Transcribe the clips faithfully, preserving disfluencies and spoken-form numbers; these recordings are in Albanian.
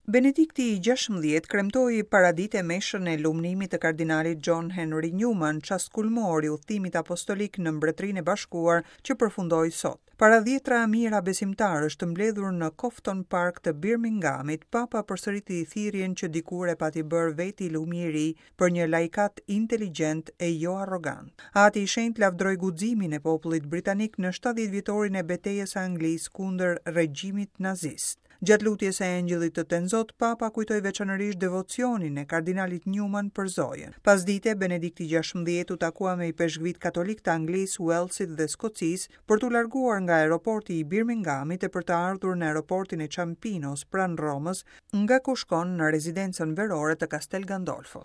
Benedikti i gjashtëmbëdhjetë kremtoi paradite meshën e lumnimit të kardinalit John Henry Newman, çast kulmor i udhëtimit apostolik në Mbretërinë e Bashkuar që përfundoi sot. Para dhjetra mijëra besimtarësh të mbledhur në Cofton Park të Birminghamit, Papa përsëriti thirrjen që dikur e pati bërë vetë i lumi i ri për një laikat inteligjent e jo arrogant. Ati i Shenjtë lavdroi guximin e popullit britanik në shtatëdhjetë vjetorin e betejës së Anglisë kundër regjimit nazist. Gjatë lutjes së Engjëllit të Tenzot, Papa kujtoi veçanërisht devocionin e kardinalit Newman për Zojën. Pasdite, Benedikti gjashtëmbëdhjetë u takua me ipeshkvit katolik të Anglisë, Walesit dhe Skocisë për t'u larguar nga aeroporti i Birminghamit e për të ardhur në aeroportin e Ciampinos pranë Romës, nga ku shkon në rezidencën verore të Castel Gandolfo.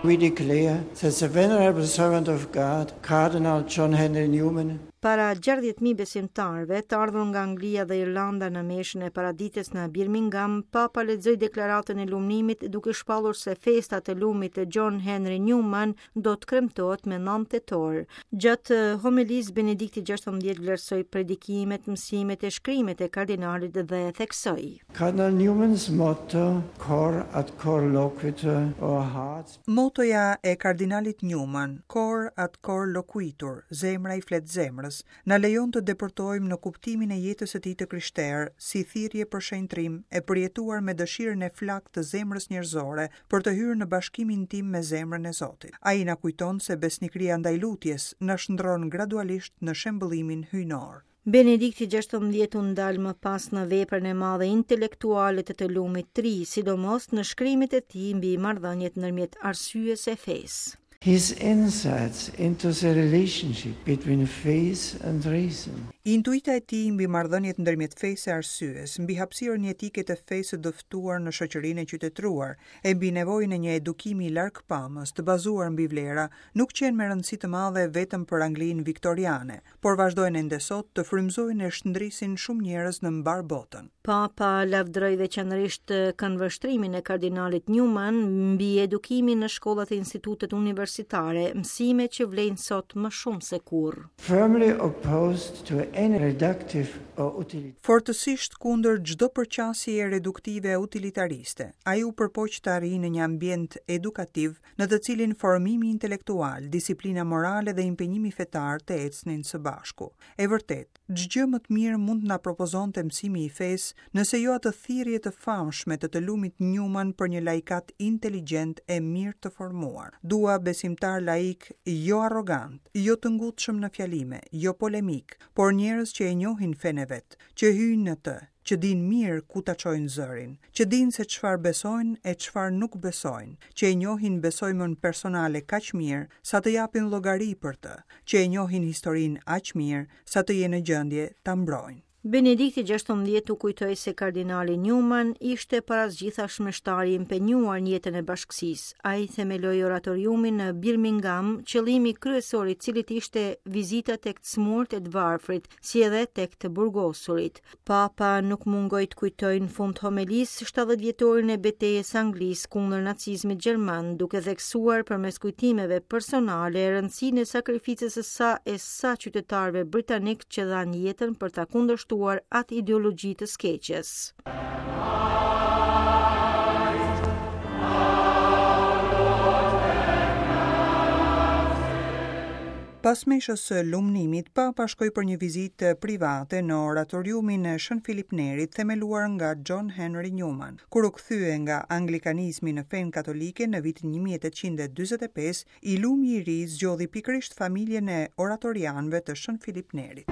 We declare that the venerable servant of God, Cardinal John Henry Newman, Para gjashtëdhjetë mijë besimtarëve të ardhur nga Anglia dhe Irlanda në meshën e paraditës në Birmingham, Papa lexoi deklaratën e lumnimit duke shpallur se festa të lumit të John Henry Newman do të kremtohet me nëntë tetor. Gjatë homilisë, Benedikti gjashtëmbëdhjetë vlerësoi predikimet, mësimet e shkrimet e kardinalit dhe theksoi: Cardinal Newman's motto, cor ad cor loquitur, or hearts. Motoja e kardinalit Newman, cor ad cor loquitur, zemra i flet zemrës, na lejon të depërtojmë në kuptimin e jetës së tij të krishterë, si thirrje për shenjtrim e përjetuar me dëshirën e flaktë të zemrës njerëzore për të hyrë në bashkimin tim me zemrën e Zotit. Ai na kujton se besnikëria ndaj lutjes na shndron gradualisht në shembëllimin hyjnor. Benedikti gjashtëmbëdhjetë u ndal më pas në veprën e madhe intelektuale të të lumit tri, sidomos në shkrimet e tij mbi marrëdhëniet ndërmjet arsyes e fesë. His insights into the relationship between faith and reason. Intuita e tij mbi marrëdhëniet ndërmjet fesë e arsyes, mbi hapësirën jetike të fesë së dëftuar në shoqërinë e qytetëruar, e mbi nevojën e një edukimi largpamës të bazuar mbi vlera, nuk qenë me rëndësi të madhe vetëm për Anglinë viktoriane, por vazhdojnë ende sot të frymëzojnë e shndrisin shumë njerëz në mbar botën. Papa lavdëroi veçanërisht këndvështrimin e kardinalit Newman mbi edukimin në shkollat e institutet universitare, mësime që vlejnë sot më shumë se kurrë. Firmly opposed to any reductive or utilitarian. Fortësisht kundër çdo përqasje reduktive e utilitariste, ai u përpoq të arrijë në një ambient edukativ në të cilin formimi intelektual, disiplina morale dhe impenjimi fetar të ecnin së bashku. E vërtet, ç'gjë më të mirë mund të na propozonte mësimi i fesë, nëse jo atë thirrje të famshme të të lumit Newman për një laikat inteligjent e mirë të formuar. Dua besimtar laik, jo arrogant, jo të ngutshëm në fjalime, jo polemik, por njerëz që e njohin fenë e vet, që hyjnë në të, që dinë mirë ku ta çojnë zërin, që dinë se çfarë besojnë e çfarë nuk besojnë, që e njohin besojmën personale kaq mirë sa të japin llogari për të, që e njohin historinë aq mirë sa të jenë në gjendje ta mbrojnë. Benedikti gjashtëmbëdhjetë u kujtoi se kardinali Newman ishte para së gjithash mështari i impenjuar në jetën e bashkësisë. Ai themeloi oratoriumin në Birmingham, qëllimi kryesor i cilit ishte vizita tek të smurt e të varfrit, si edhe tek të burgosurit. Papa nuk mungoi të kujtojë në fund homelisë shtatëdhjetë vjetorin e betejës Anglisë kundër nacizmit gjerman, duke theksuar përmes kujtimeve personale rëndësinë e sakrificës së sa e sa qytetarëve britanik që dhanë jetën për ta kundërshtuar atë ideologji të skeqes. Pas meshës së lumnimit, Papa shkoi për një vizitë private në oratoriumin e Shën Filip Nerit, themeluar nga John Henry Newman. Kur u kthye nga anglikanizmi në fenë katolike në vitin një mijë e tetëqind e dyzet e pesë, i lumi i ri zgjodhi pikërisht familjen e oratorianëve të Shën Filip Nerit.